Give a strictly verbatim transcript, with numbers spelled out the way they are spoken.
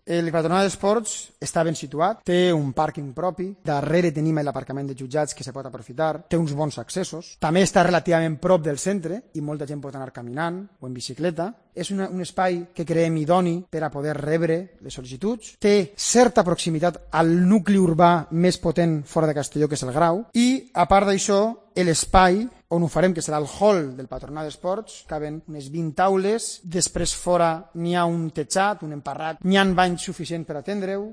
El Patronat d'Esports està ben situat, té un pàrquing propi, darrere tenim l'aparcament de jutjats que se pot aprofitar, té uns bons accessos, també està relativament prop del centre i molta gent pot anar caminant o en bicicleta. És una, un espai que creiem idoni per a poder rebre les sol·licituds, té certa proximitat al nucli urbà més potent fora de Castelló, que és el Grau, i a part d'això, l'espai on ho farem, que serà el hall del Patronat d'Esports, caben unes vint taules, després fora n'hi ha un tejat, un emparrat, n'hi ha banys suficients per atendre-ho,